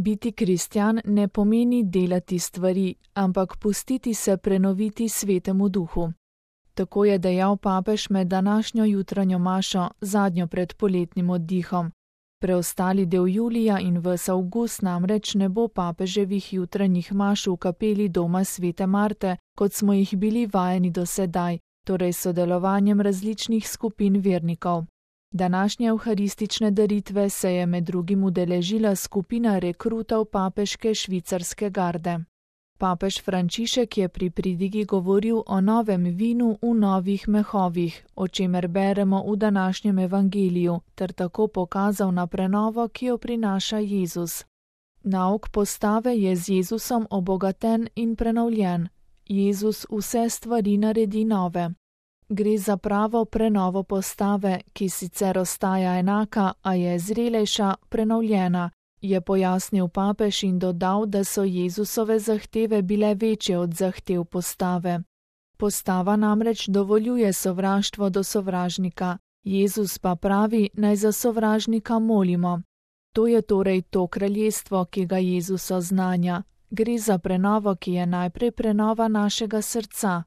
Biti kristjan ne pomeni delati stvari, ampak pustiti se prenoviti Svetemu Duhu. Tako je dejal papež med današnjo jutranjo mašo, zadnjo pred poletnim oddihom. Preostali del julija in ves avgust namreč ne bo papeževih jutranjih maš v kapeli doma Svete Marte, kot smo jih bili vajeni do sedaj, torej sodelovanjem različnih skupin vernikov. Današnje evharistične daritve se je med drugim udeležila skupina rekrutov papeške švicarske garde. Papež Frančišek je pri pridigi govoril o novem vinu v novih mehovih, o čemer beremo v današnjem evangeliju, ter tako pokazal na prenovo, ki jo prinaša Jezus. Nauk postave je z Jezusom obogaten in prenovljen. Jezus vse stvari naredi nove. Gre za pravo prenovo postave, ki sicer ostaja enaka, a je zrelejša, prenovljena, je pojasnil papež in dodal, da so Jezusove zahteve bile večje od zahtev postave. Postava namreč dovoljuje sovraštvo do sovražnika, Jezus pa pravi, naj za sovražnika molimo. To je torej to kraljestvo, ki ga Jezus oznanja. Gre za prenovo, ki je najprej prenova našega srca.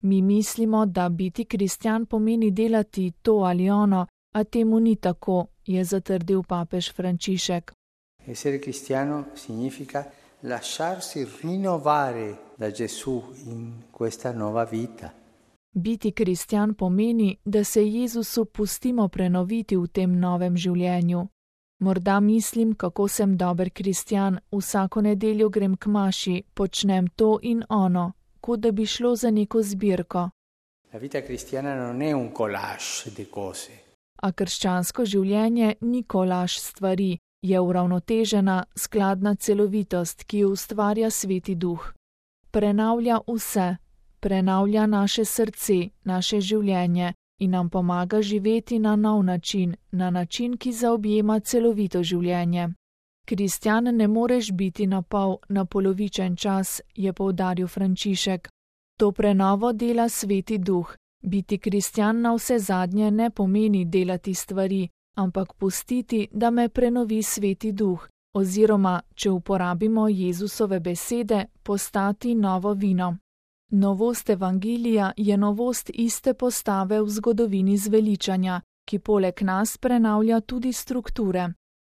Mi mislimo, da biti kristjan pomeni delati to ali ono, a temu ni tako, je zatrdil papež Frančišek. Essere cristiano significa lasciarsi rinnovare da Gesù in questa nuova vita. Biti kristjan pomeni, da se Jezusu pustimo prenoviti v tem novem življenju. Morda mislim, kako sem dober kristjan, vsako nedeljo grem k maši, počnem to in ono, kot da bi šlo za neko zbirko. La vita cristiana non è un collage di cose. A krščansko življenje ni kolaž stvari, je uravnotežena, skladna celovitost, ki jo ustvarja Sveti Duh. Prenavlja vse, prenavlja naše srce, naše življenje in nam pomaga živeti na nov način, na način, ki zaobjema celovito življenje. Kristjan ne moreš biti na pol, na polovičen čas, je poudaril Frančišek. To prenovo dela Sveti Duh. Biti kristjan na vse zadnje ne pomeni delati stvari, ampak pustiti, da me prenovi Sveti Duh, oziroma, če uporabimo Jezusove besede, postati novo vino. Novost evangelija je novost iste postave v zgodovini zveličanja, ki poleg nas prenavlja tudi strukture.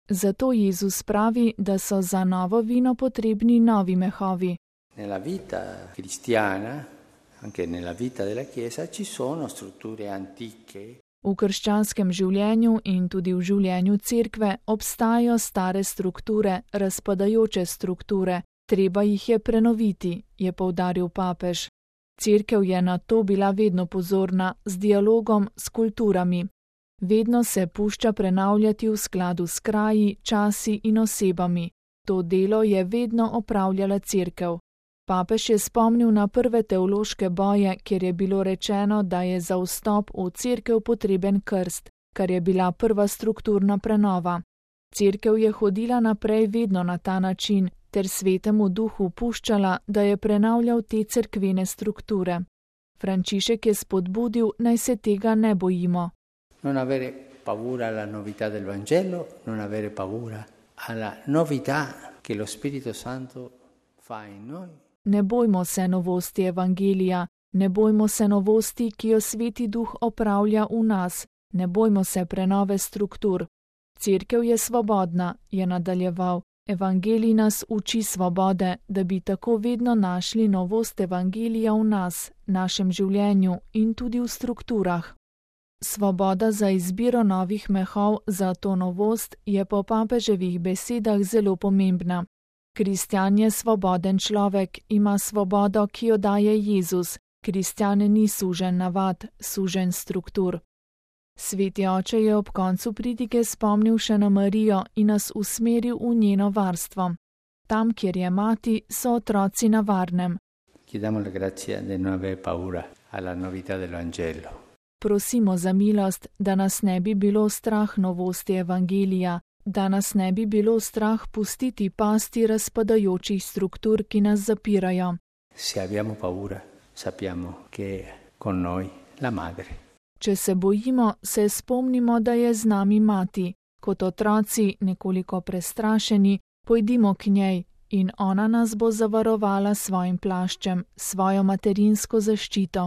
Zato Jezus pravi, da so za novo vino potrebni novi mehovi. Nella vita cristiana, anche nella vita della Chiesa, ci sono strutture antiche. V krščanskem življenju in tudi v življenju cerkve obstajajo stare strukture, razpadajoče strukture, treba jih je prenoviti, je poudaril papež. Cerkev je na to bila vedno pozorna, z dialogom, s kulturami. Vedno se pušča prenavljati v skladu s kraji, časi in osebami. To delo je vedno opravljala cerkev. Papež je spomnil na prve teološke boje, kjer je bilo rečeno, da je za vstop v cerkev potreben krst, kar je bila prva strukturna prenova. Cerkev je hodila naprej vedno na ta način, ter Svetemu Duhu puščala, da je prenavljal te cerkvene strukture. Frančišek je spodbudil, naj se tega ne bojimo. Non avere paura alla novità del Vangelo, non avere paura alla novità che lo Spirito Santo fa in noi. Ne bojmo se novosti evangelija, ne bojmo se novosti, ki jo Sveti Duh opravlja v nas, ne bojmo se prenove struktur. Cerkev je svobodna, je nadaljeval. Evangelij nas uči svobode, da bi tako vedno našli novost evangelija v nas, našem življenju in tudi v strukturah. Svoboda za izbiro novih mehov za to novost je po papeževih besedah zelo pomembna. Kristjan je svoboden človek, ima svobodo, ki jo daje Jezus. Kristjan ni sužen navad, sužen struktur. Sveti oče je ob koncu pridige spomnil še na Marijo in nas usmeril v njeno varstvo. Tam, kjer je mati, so otroci na varnem. Chiediamo la grazia di non avere paura alla novità del Vangelo. Prosimo za milost, da nas ne bi bilo strah novosti evangelija, da nas ne bi bilo strah pustiti pasti razpadajočih struktur, ki nas zapirajo. Se abbiamo paura, sappiamo che con noi la madre. Če se bojimo, se spomnimo, da je z nami mati. Kot otroci, nekoliko prestrašeni, Pojdimo k njej in ona nas bo zavarovala s svojim plaščem, svojo materinsko zaščito.